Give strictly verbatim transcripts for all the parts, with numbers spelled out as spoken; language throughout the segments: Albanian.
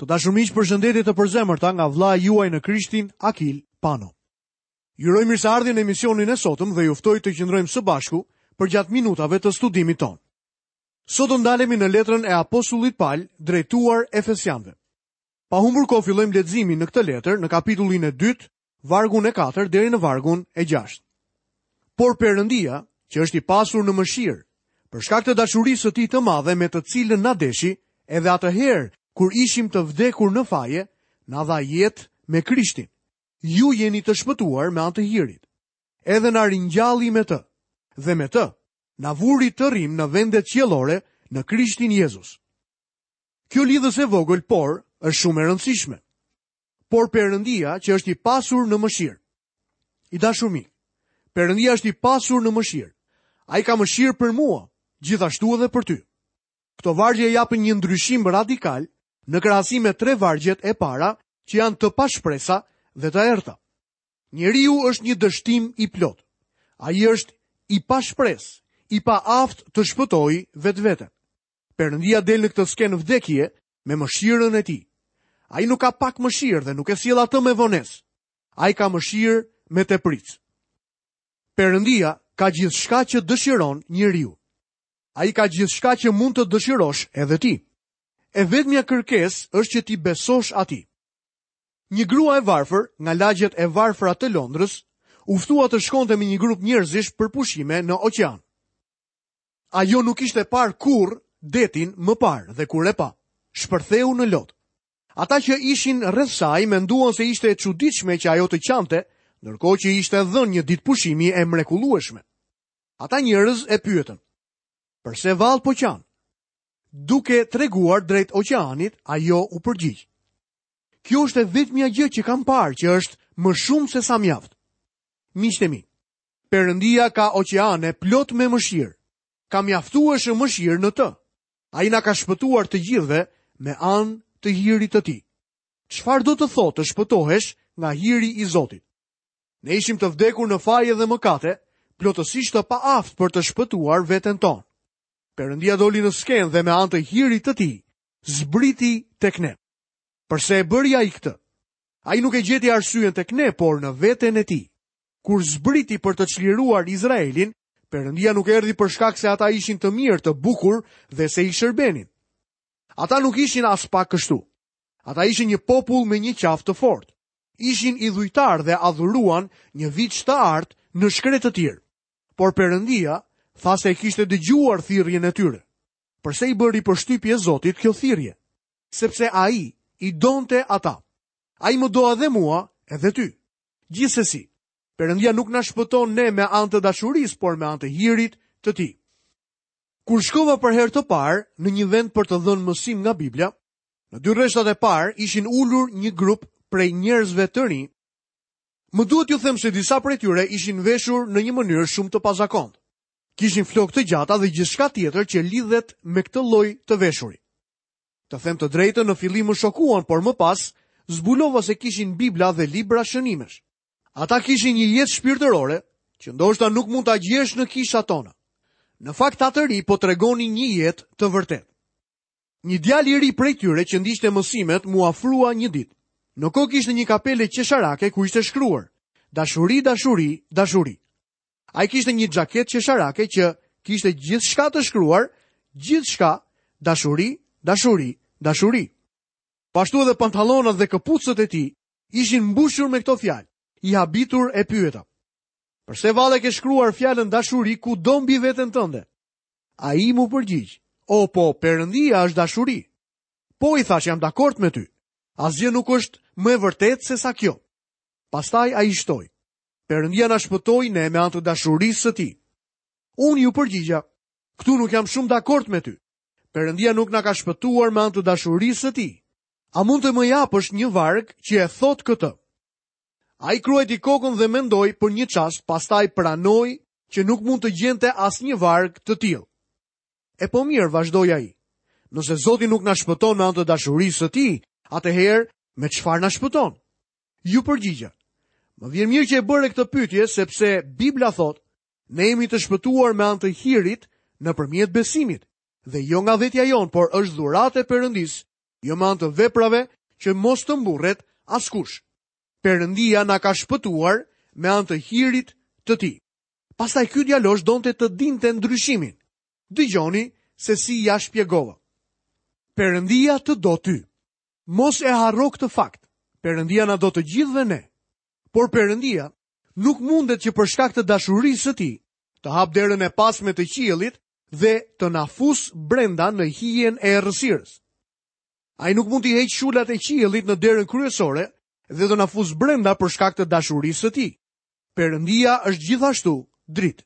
Të dashur miq, përshëndetje të përzemërta nga vëllai juaj në Krishtin, Akil Pano. Ju uroj mirëseardhjen në emisionin e sotëm dhe ju ftoj të qëndrojmë së bashku përgjatë minutave të studimit tonë. Sot do ndalemi në letrën e apostullit Pal drejtuar Efesianëve. Pa humbur kohë fillojmë leximin në këtë letër në kapitullin e dytë, vargun e katërt deri në vargun e gjashtë. Por Perëndia, që është i pasur në mëshirë, për shkak të dashurisë së tij të madhe me të cilën na deshi, edhe atëherë kur ishim të vdekur në faje, na dha jetë me Krishtin. Ju jeni të shpëtuar me anë të hirit. Edhe na ringjalli me të, dhe me të na vuri të rrim në vendet qiellore në Krishtin Jezus. Kjo lidhës e vogël, por është shumë e rëndësishme. Por Perëndia, që është i pasur në mëshirë. I dashur mik, Perëndia është i pasur në mëshirë. Ai ka mëshirë për mua, gjithashtu edhe për ty. Këto vargje japin një ndryshim radikal në krahasim me tre vargjet e para që janë të pashpresa dhe të errta. Njeriu është një dështim i plot. Ai është i pashpresë, i paaftë të shpëtojë vetveten. Perëndia del në këtë skenë vdekje me mëshirën e tij. Ai nuk ka pak mëshirë dhe nuk e sjell atë me vonesë. Ai ka mëshirë me tepricë. Perëndia ka gjithçka që dëshiron njeriu. Ai ka gjithçka që mund të dëshirosh edhe ti. E vetmja kërkesë është që ti besosh atij. Një grua e varfër nga lagjet e varfra të Londrës u ftua të shkonte me një grup njerëzish për pushime në oqean. Ajo nuk ishte parë kurrë detin më parë dhe kur e pa, shpërtheu në lot. Ata që ishin rreth saj menduan se ishte e çuditshme që ajo të qante, ndërkohë që ishte dhënë një ditë pushimi e mrekullueshme. Ata njerëz e pyetën: "Përse vallë po qan?" Duke treguar drejt oqeanit, ajo u përgjigj: "Kjo është e vetmja gjë që kam parë që është më shumë se sa mjaft." Miqtë e mi, Perëndia ka oqeane plot me mëshirë. Ka mjaftueshëm mëshirë në të. Ai na ka shpëtuar të gjithëve me anë të hirit të tij. Çfarë do të thotë të shpëtohesh nga hiri i Zotit? Ne ishim të vdekur në faje dhe mëkate, plotësisht të paaftë për të shpëtuar veten tonë. Perëndia doli në skenë dhe me anë të hirit të tij zbriti tek ne. Përse e bëri ai këtë? Ai nuk e gjeti arsyen tek ne, por në veten e tij. Kur zbriti për të çliruar Izraelin, Perëndia nuk erdhi për shkak se ata ishin të mirë, të bukur dhe se i shërbenin. Ata nuk ishin as pak kështu. Ata ishin një popull me një qafë të fortë. Ishin idhujtar dhe adhuruan një viç të artë në shkretëtirë. Por Perëndia tha se e kishte dëgjuar thirrjen e tyre. Përse i bëri përshtypje Zotit kjo thirrje? Sepse ai i donte ata. Ai më do edhe mua, edhe ty. Gjithsesi, Perëndia nuk na shpëton ne me anë të dashurisë, por me anë të hirit të tij. Kur shkova për herë të parë në një vend për të dhënë mësim nga Biblia, në dy rreshtat e parë ishin ulur një grup prej njerëzve të rinj. Më duhet t'ju them se disa prej tyre ishin veshur në një mënyrë shumë të pazakontë. Kishin flokë të gjata dhe gjithçka tjetër që lidhet me këtë lloj të veshuri. Të them të drejtën, në fillim më shokuan, por më pas zbulova se kishin Bibla dhe libra shënimesh. Ata kishin një jetë shpirtërore që ndoshta nuk mund ta gjesh në kishat tona. Në fakt, ata të ri po tregonin një jetë të vërtetë. Një djalë i ri prej tyre që ndiqte mësimet mu afrua një ditë. Në kokë ishte një kapele qesharake ku ishte shkruar: "Dashuri, dashuri, dashuri." Ai kishte një xhaketë qesharake që kishte gjithçka të shkruar, gjithçka, dashuri, dashuri, dashuri. Pashtu edhe pantallonat dhe këpucët e tij ishin mbushur me këto fjalë. I habitur e pyeta: "Përse vallë ke shkruar fjalën dashuri kudo mbi veten tënde?" Ai mu përgjigj: "O po, Perëndia është dashuri." Po, i thash, jam dakord me ty. Asgjë nuk është më e vërtetë se sa kjo. Pastaj ai shtoi: "Perëndia na shpëtoi ne me anë të dashurisë së tij." Unë ju përgjigja: "Këtu nuk jam shumë dakord me ty. Perëndia nuk na ka shpëtuar me anë të dashurisë së tij. A mund të më japësh një varg që e thot këtë?" Ai kruajti kokën dhe mendoi për një çast, pastaj pranoi që nuk mund të gjente asnjë varg të tillë. E po mirë, vazhdoi ai. Nëse Zoti nuk na shpëton me anë të dashurisë së tij, atëherë me çfarë na shpëton? Ju përgjigja: Më vjen mirë që e bëre këtë pyetje, sepse Bibla thotë, ne jemi të shpëtuar me anë të hirit nëpërmjet besimit, dhe jo nga vetja jonë, por është dhuratë e Perëndisë, Jo me anë të veprave që mos të mburret askush. Perëndia na ka shpëtuar me anë të hirit të tij. Pastaj ky djalosh donte të dinte ndryshimin. Dëgjoni se si ja shpjegova. Perëndia të do ty. Mos e harro këtë fakt. Perëndia na do të gjithëve ne. Por Perëndia nuk mundet që për shkak të dashurisë së tij të hap derën e pasme të qiellit dhe të na fus brenda në hijen e errësirës. Ai nuk mund t'i heq shulat e qiellit në derën kryesore dhe të na fus brenda për shkak të dashurisë së tij. Perëndia është gjithashtu dritë.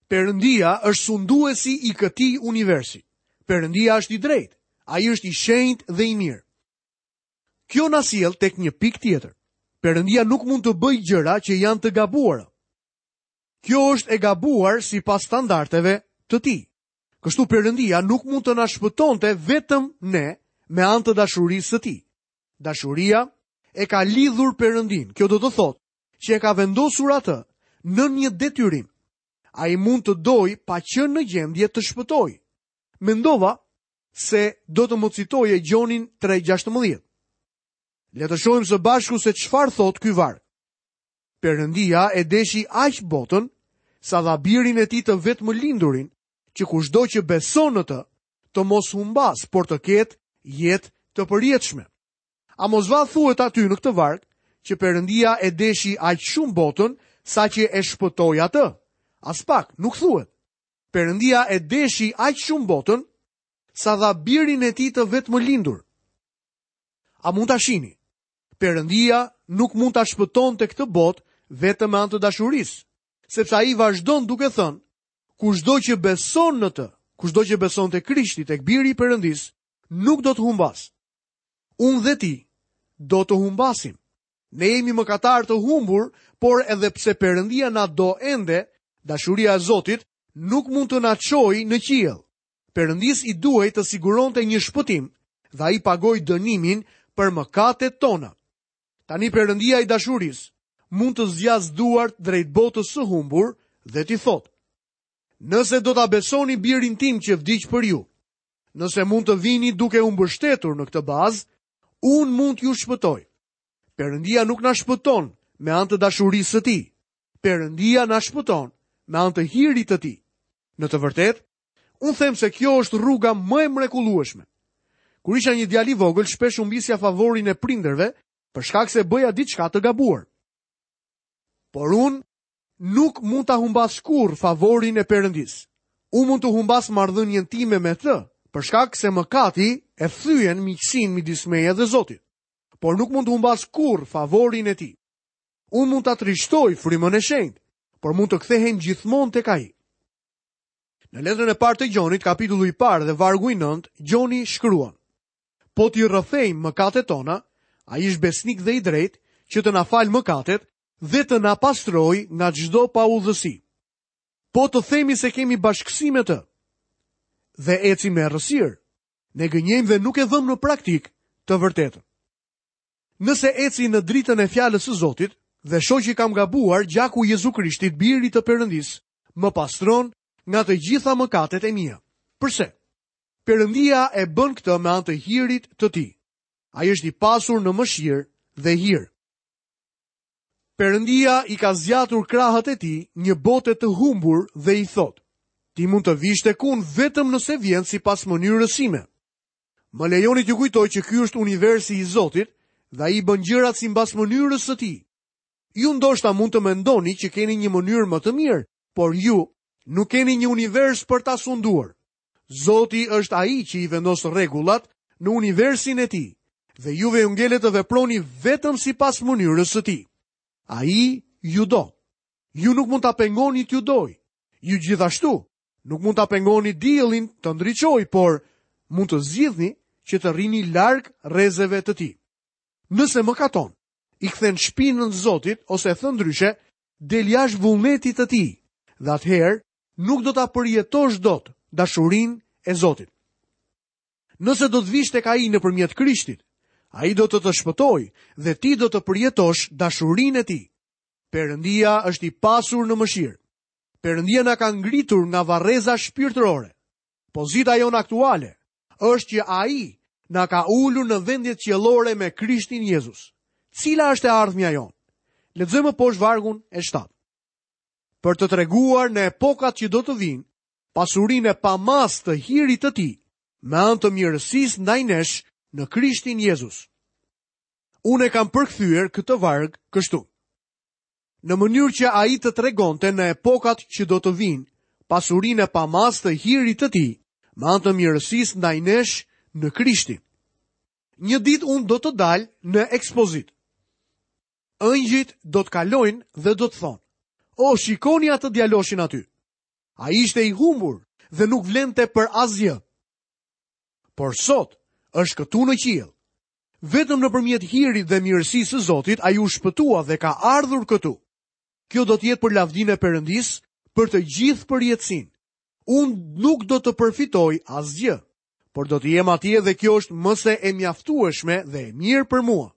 Perëndia është sunduesi i këtij universi. Perëndia është i drejtë. Ai është i shenjtë dhe i mirë. Kjo na sjell tek një pikë tjetër. Perëndia nuk mund të bëjë gjëra që janë të gabuara. Kjo është e gabuar sipas standardeve të tij. Kështu Perëndia nuk mund të na shpëtonte vetëm ne me anë të dashurisë së tij. Dashuria e ka lidhur Perëndin. Kjo do të thotë që e ka vendosur atë në një detyrim. Ai mund të dojë pa qenë në gjendje të shpëtojë. Mendova se do të më citoje Gjonin tre gjashtëmbëdhjetë. Le të shohim së bashku se çfarë thot ky varg. Perëndia e deshi aq botën sa dha birin e tij të vetëmlindurin, që kushdo që beson në të, të mos humbas, por të ketë jetë të përjetshme. A mos va thuhet aty në këtë varg që Perëndia e deshi aq shumë botën sa që e shpëtoi atë? As pak, nuk thuhet. Perëndia e deshi aq shumë botën sa dha birin e tij të vetëmlindur. A mund ta shihni? Perëndia nuk mund ta shpëtonte këtë botë vetëm me anë të dashurisë, sepse ai vazhdon duke thënë, kushdo që beson në të, kushdo që beson te Krishti, tek biri i Perëndisë, nuk do të humbas. Unë dhe ti do të humbasim. Ne jemi mëkatar të humbur, por edhe pse Perëndia na do ende, dashuria e Zotit nuk mund të na çojë në qiell. Perëndis i duhej të siguronte një shpëtim dhe ai pagoi dënimin për mëkatet tona. Tani Perëndia i dashurisë mund të zgjas duart drejt botës së humbur dhe t'i thotë: Nëse do ta besoni birin tim që vdiq për ju, nëse mund të vini duke u mbështetur në këtë bazë, unë mund t'ju shpëtoj. Perëndia nuk na shpëton me anë të dashurisë së tij. Perëndia na shpëton me anë të hirit të tij. Në të vërtetë, unë them se kjo është rruga më e mrekullueshme. Kur isha një djalë i vogël, shpesh humbisja favorin e prindërve për shkak se bëja diçka të gabuar. Por unë nuk mund ta humbas kurrë favorin e Perëndisë. Unë mund të humbas marrëdhënien time me të, për shkak se mëkati e thyen miqësinë midis meje dhe Zotit. Por nuk mund të humbas kurrë favorin e tij. Unë mund ta trishtoj frymën e shenjtë, por mund të kthehem gjithmonë tek ai. Në letrën e parë të Gjonit, kapitulli i parë dhe vargu i nëntë, Gjoni shkruan: Po t'i rrëfejmë mëkatet tona, ai është besnik dhe i drejtë që të na falë mëkatet dhe të na pastrojë nga çdo paudhësi. Po të themi se kemi bashkësi me të dhe ecim me errësirë, ne gënjejmë dhe nuk e vëmë në praktik të vërtetën. Nëse eci në dritën e fjalës së Zotit dhe shoh që kam gabuar, gjaku i Jezu Krishtit, birit të Perëndisë, më pastron nga të gjitha mëkatet e mia. Përse? Perëndia e bën këtë me anë të hirit të tij. Ai është i pasur në mëshirë dhe hir. Perëndia i ka zgjatur krahët e tij një bote të humbur dhe i thotë: Ti mund të vish tek unë vetëm nëse vjen sipas mënyrës sime. Më lejoni t'ju kujtoj që ky është universi i Zotit dhe ai bën gjërat sipas mënyrës së tij. Ju ndoshta mund të mendoni që keni një mënyrë më të mirë, por ju nuk keni një univers për ta sunduar. Zoti është ai që i vendos rregullat në universin e tij dhe juve ju ngelet të veproni vetëm sipas mënyrës së tij. Ai ju do. Ju nuk mund ta pengoni t'ju doj. Ju gjithashtu nuk mund ta pengoni diellin të ndriçojë, por mund të zgjidhni që të rrini larg rrezeve të tij. Nëse mëkaton, i kthen shpinën Zotit ose thënë ndryshe, del jashtë vullnetit të tij, dhe atëherë nuk do ta përjetosh dot dashurinë e Zotit. Nëse do të vish tek ai nëpërmjet Krishtit, ai do të të shpëtojë dhe ti do të përjetosh dashurinë e tij. Perëndia është i pasur në mëshirë. Perëndia na ka ngritur nga varreza shpirtërore. Pozita jonë aktuale është që ai na ka ulur në vendet qiellore me Krishtin Jezus. Cila është e ardhmja jonë? Lexojmë poshtë vargun e shtatë. Për të treguar në epokat që do të vinë, pasurinë e pamas të hirit të tij, me anë të mirësisë ndaj nesh në Krishtin Jezus. Unë e kam përkthyer këtë varg kështu. Në mënyrë që ai të tregonte në epokat që do të vinë, pasurinë e pamas të hirit të tij, me anë të mirësisë ndaj nesh në Krishtin. Një ditë unë do të dal në ekspozit. Ëngjëjt do të kalojnë dhe do të thonë: "O, shikoni atë djaloshin aty. Ai ishte i humbur dhe nuk vlente për asgjë. Por sot është këtu në qiell. Vetëm nëpërmjet hirit dhe mirësisë së Zotit ai u shpëtua dhe ka ardhur këtu. Kjo do të jetë për lavdinë e Perëndisë, për të gjithë përjetësinë. Unë nuk do të përfitoj asgjë, por do të jem atje dhe kjo është më se e mjaftueshme dhe e mirë për mua.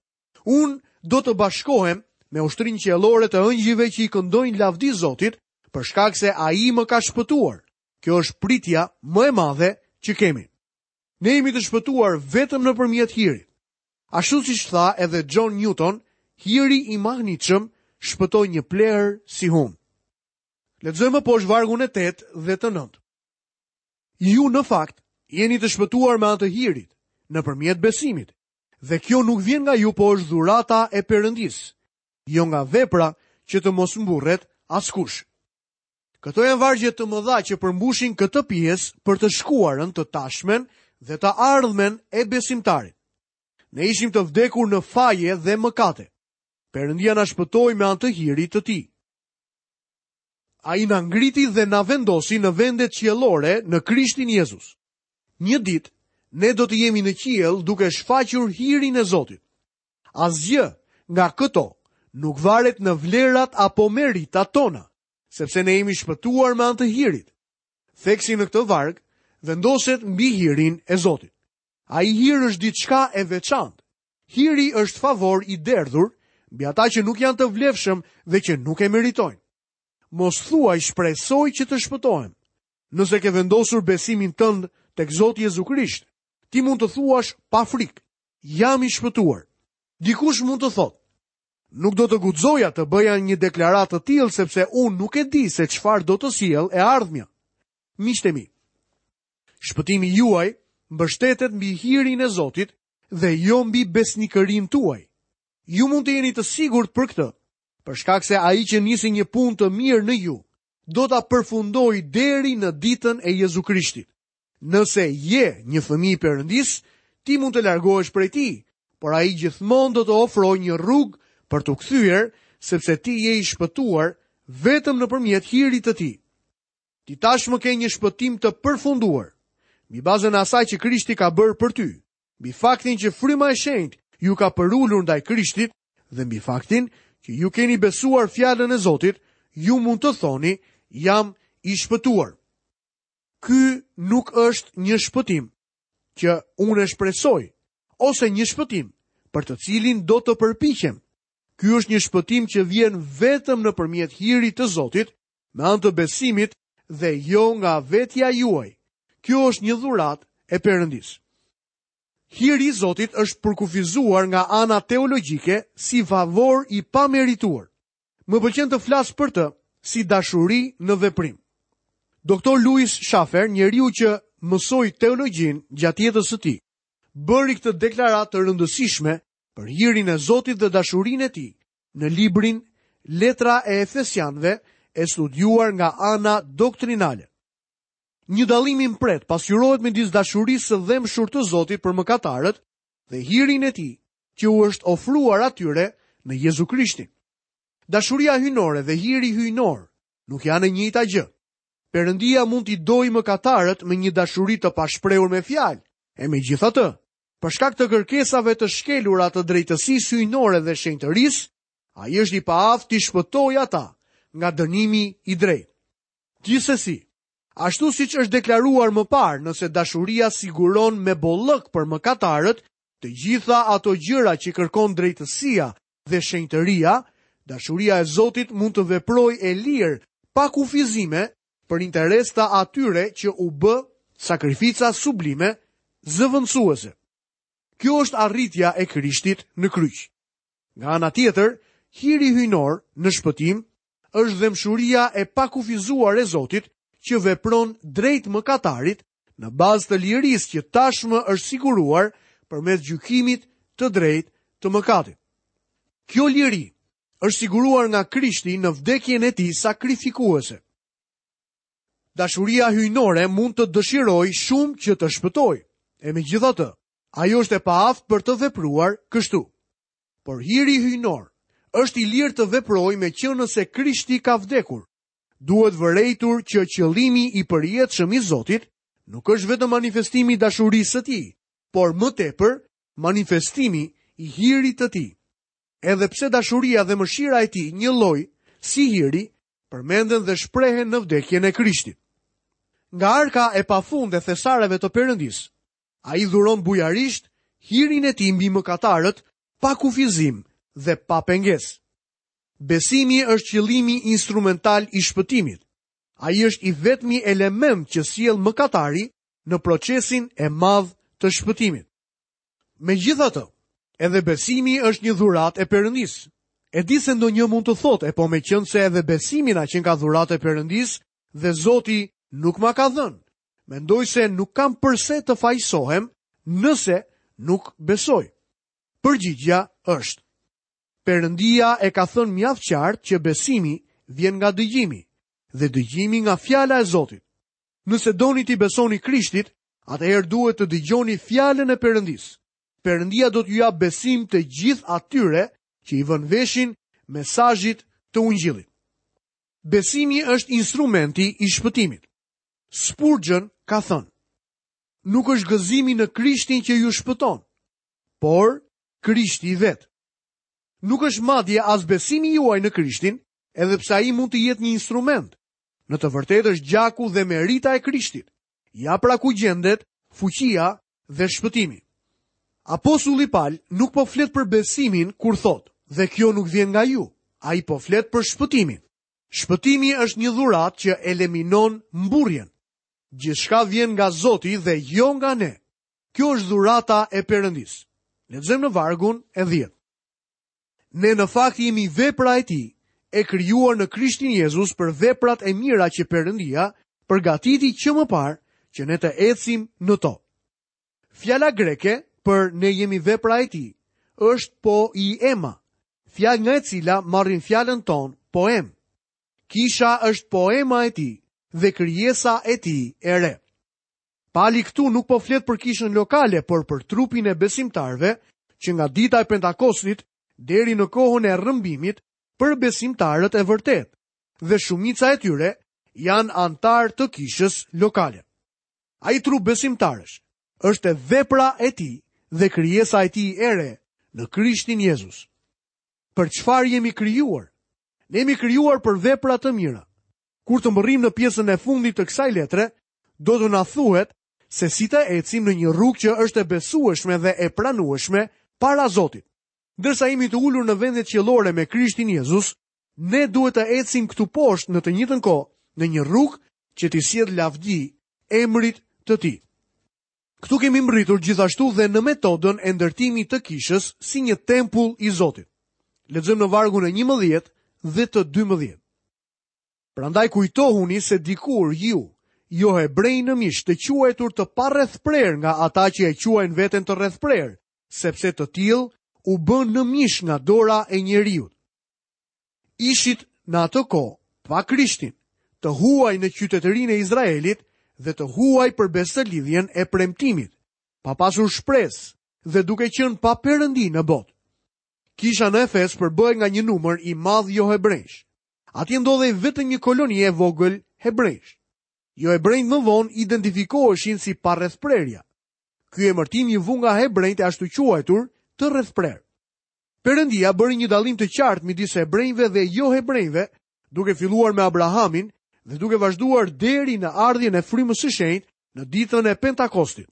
Unë do të bashkohem me ushtrinë qiellore të ëngjëjve që i këndojnë lavdi Zotit, për shkak se ai më ka shpëtuar. Kjo është pritja më e madhe që kemi. Ne jemi të shpëtuar vetëm nëpërmjet hirit. Ashtu siç tha edhe John Newton, hiri i mahnitshëm shpëtoi një plehr si unë. Lexojmë poshtë vargun e tetë dhe të nëntë. Ju në fakt jeni të shpëtuar me anë të hirit, nëpërmjet besimit. Dhe kjo nuk vjen nga ju, po është dhurata e Perëndisë, jo nga vepra që të mos mburret askush. Këto janë vargje të mëdha që përmbushin këtë pjesë për të shkuarën, të tashmen dhe të ardhmen e besimtarit. Ne ishim të vdekur në faje dhe mëkate. Perëndia na shpëtoi me anë të hirit të tij. Ai na ngriti dhe na vendosi në vendet qiellore në Krishtin Jezus. Një ditë ne do të jemi në qiell duke shfaqur hirin e Zotit. Asgjë nga këto nuk varet në vlerat apo meritat tona, sepse ne jemi shpëtuar me anë të hirit. Theksi në këtë varg vendoset mbi hirin e Zotit. Ai hir është diçka e veçantë. Hiri është favor i derdhur mbi ata që nuk janë të vlefshëm dhe që nuk e meritojnë. Mos thuaj shpresoj që të shpëtohem. Nëse ke vendosur besimin tënd tek Zoti Jezu Krisht, ti mund të thuash pa frikë, jam i shpëtuar. Dikush mund të thotë, nuk do të guxoja të bëja një deklaratë të tillë sepse unë nuk e di se çfarë do të sjell e ardhmja. Miqtë e mi, shpëtimi juaj mbështetet mbi hirin e Zotit dhe jo mbi besnikërinë tuaj. Ju mund të jeni të sigurt për këtë, për shkak se ai që nisi një punë të mirë në ju, do ta përfundojë deri në ditën e Jezu Krishtit. Nëse je një fëmijë i Perëndisë, ti mund të largohesh prej tij, por ai gjithmonë do të ofrojë një rrugë për t'u kthyer, sepse ti je i shpëtuar vetëm nëpërmjet hirit të tij. Ti tashmë ke një shpëtim të përfunduar, mbi bazën e asaj që Krishti ka bërë për ty, mbi faktin që fryma e shenjtë ju ka përulur ndaj Krishtit dhe mbi faktin që ju keni besuar fjalën e Zotit, ju mund të thoni, jam i shpëtuar. Ky nuk është një shpëtim që unë e shpresoj, ose një shpëtim për të cilin do të përpiqem. Ky është një shpëtim që vjen vetëm nëpërmjet hirit të Zotit, me anë të besimit dhe jo nga vetja juaj. Kjo është një dhuratë e Perëndisë. Hiri i Zotit është përkufizuar nga ana teologjike si favor i pamerituar. Më pëlqen të flas për të si dashuri në veprim. Doktor Louis Schaeffer, njeriu që mësoi teologjinë gjatë jetës së tij, bëri këtë deklaratë të rëndësishme për hirin e Zotit dhe dashurinë e tij në librin Letra e Efesianëve, e studiuar nga ana doktrinale. Një dallim i mprehtë pasqyrohet midis dashurisë së dhembshur të Zotit për mëkatarët dhe hirin e tij që u është ofruar atyre në Jezu Krishtin. Dashuria hyjnore dhe hiri hyjnor nuk janë e njëjta gjë. Perëndia mund t'i dojë mëkatarët me një dashuri të pashprehur me fjalë, e megjithatë, për shkak të kërkesave të shkelura të drejtësisë hyjnore dhe shenjtërisë, ai është i paaftë t'i shpëtojë ata nga dënimi i drejtë. Gjithsesi, ashtu siç është deklaruar më parë, nëse dashuria siguron me bollëk për mëkatarët të gjitha ato gjëra që kërkon drejtësia dhe shenjtëria, dashuria e Zotit mund të veprojë e lirë, pa kufizime, për interes të atyre që u bë sakrifica sublime zëvendësuese. Kjo është arritja e Krishtit në kryq. Nga ana tjetër, hiri hyjnor në shpëtim është dhembshuria e pakufizuar e Zotit që vepron drejt mëkatarit në bazë të lirisë që tashmë është siguruar përmes gjykimit të drejtë të mëkatit. Kjo liri është siguruar nga Krishti në vdekjen e tij sakrifikuese. Dashuria hyjnore mund të dëshirojë shumë që të shpëtojë, e megjithatë, ajo është e paaftë për të vepruar kështu. Por hiri hyjnor është i lirë të veprojë meqenëse Krishti ka vdekur. Duhet vërejtur që qëllimi i përjetshëm i Zotit nuk është vetëm manifestimi i dashurisë së tij, por më tepër manifestimi i hirit të tij. Edhe pse dashuria dhe mëshira e tij njëlloj si hiri, përmenden dhe shprehen në vdekjen e Krishtit. Nga arka e pafund e thesareve të Perëndisë, ai dhuron bujarisht hirin e tij mbi mëkatarët pa kufizim dhe pa pengesë. Besimi është qëllimi instrumental i shpëtimit. Ai është i vetmi element që sjell mëkatari në procesin e madh të shpëtimit. Megjithatë, edhe besimi është një dhuratë e Perëndisë. E di se ndonjë mund të thotë, e po meqenëse edhe besimi na qenka dhuratë e Perëndisë dhe Zoti nuk ma ka dhënë. Mendoj se nuk kam përse të fajsohem nëse nuk besoj. Përgjigjja është: Perëndia e ka thënë mjaft qartë që besimi vjen nga dëgjimi dhe dëgjimi nga fjala e Zotit. Nëse doni t'i besoni Krishtit, atëherë duhet të dëgjoni fjalën e Perëndisë. Perëndia do t'ju japë besim të gjithë atyre që i vënë veshin mesazhit të ungjillit. Besimi është instrumenti i shpëtimit. Spurgeon ka thënë: Nuk është gëzimi në Krishtin që ju shpëton, por Krishti vetë. Nuk është madje as besimi juaj në Krishtin, edhe pse ai mund të jetë një instrument. Në të vërtetë është gjaku dhe merita e Krishtit. Ja pra ku gjendet fuqia dhe shpëtimi. Apostulli Pal nuk po flet për besimin kur thotë, dhe kjo nuk vjen nga ju. Ai po flet për shpëtimin. Shpëtimi është një dhuratë që eliminon mburrjen. Gjithçka vjen nga Zoti dhe jo nga ne. Kjo është dhurata e Perëndisë. Lexojmë në vargun e dhjetë. Ne në fakt jemi vepra e tij, e krijuar në Krishtin Jezus për veprat e mira që Perëndia përgatiti që më parë që ne të ecim në to. Fjala greke për ne jemi vepra e tij është poiema, fjalë nga e cila marrim fjalën tonë poem. Kisha është poema e tij dhe krijesa e tij e re. Pali këtu nuk po flet për kishën lokale, por për trupin e besimtarëve që nga dita e Pentakostit deri në kohën e rrëmbimit për besimtarët e vërtetë, dhe shumica e tyre janë anëtarë të kishës lokale. Ai trup besimtarësh është vepra e tij dhe krijesa e tij e re në Krishtin Jezus. Për çfarë jemi krijuar? Ne jemi krijuar për vepra të mira. Kur të mbërrijmë në pjesën e fundit të kësaj letre, do të na thuhet se si të ecim në një rrugë që është e besueshme dhe e pranueshme para Zotit. Ndërsa jemi të ulur në vendet qiellore me Krishtin Jezus, ne duhet të ecim këtu poshtë në të njëjtën kohë në një rrugë që t'i sjell lavdi emrit të tij. Këtu kemi mbërritur gjithashtu dhe në metodën e ndërtimit të kishës si një tempull i Zotit. Lexojmë në vargun e njëmbëdhjetë dhe të dymbëdhjetë. Prandaj kujtohuni se dikur ju, jo hebrej në mish, të quajtur të parrethprer nga ata që e quajnë veten të rrethprer, sepse të tillë u bën në mish nga dora e njeriut. Ishit në atë kohë pa Krishtin, të huaj në qytetërinë e Izraelit dhe të huaj për besëlidhjen e premtimit, pa pasur shpresë dhe duke qenë pa perëndi në botë. Kisha në Efes përbëhej nga një numër i madh johebrejsh. Atje ndodhej vetëm një koloni e vogël hebrejsh. Johebrejt më vonë identifikoheshin si parrethprerja. Ky emërtim i vu nga hebrejt e ashtu quajtur të rrethprer. Perëndia bëri një dallim të qartë midis hebrejve dhe johebrejve, duke filluar me Abrahamin dhe duke vazhduar deri në ardhjen e frymës së shenjtë në ditën e Pentakostit.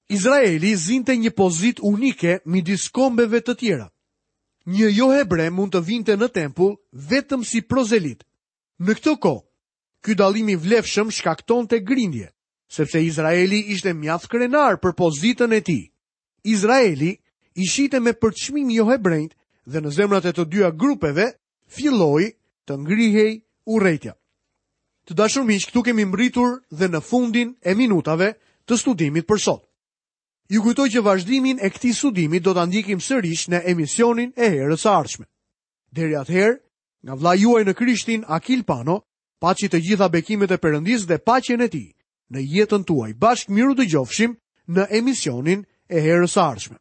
Izraeli zinte një pozitë unike midis kombeve të tjera. Një johebre mund të vinte në tempull vetëm si prozelit. Në këtë kohë, ky dallim i vlefshëm shkaktonte grindje, sepse Izraeli ishte mjaft krenar për pozitën e tij. Izraeli i shihte me përçmim johebrenjtë dhe në zemrat e të dyja grupeve filloi të ngrihej urrejtja. Të dashur miq, këtu kemi mbërritur dhe në fundin e minutave të studimit për sot. Ju kujtoj që vazhdimin e këtij studimi do ta ndjekim sërish në emisionin e herës së ardhshme. Deri atëherë, nga vëllai juaj në Krishtin, Akil Pano, paçi të gjitha bekimet e Perëndisë dhe paqen e tij në jetën tuaj. Bashkë mirudëgjofshim në emisionin e herës së ardhshme.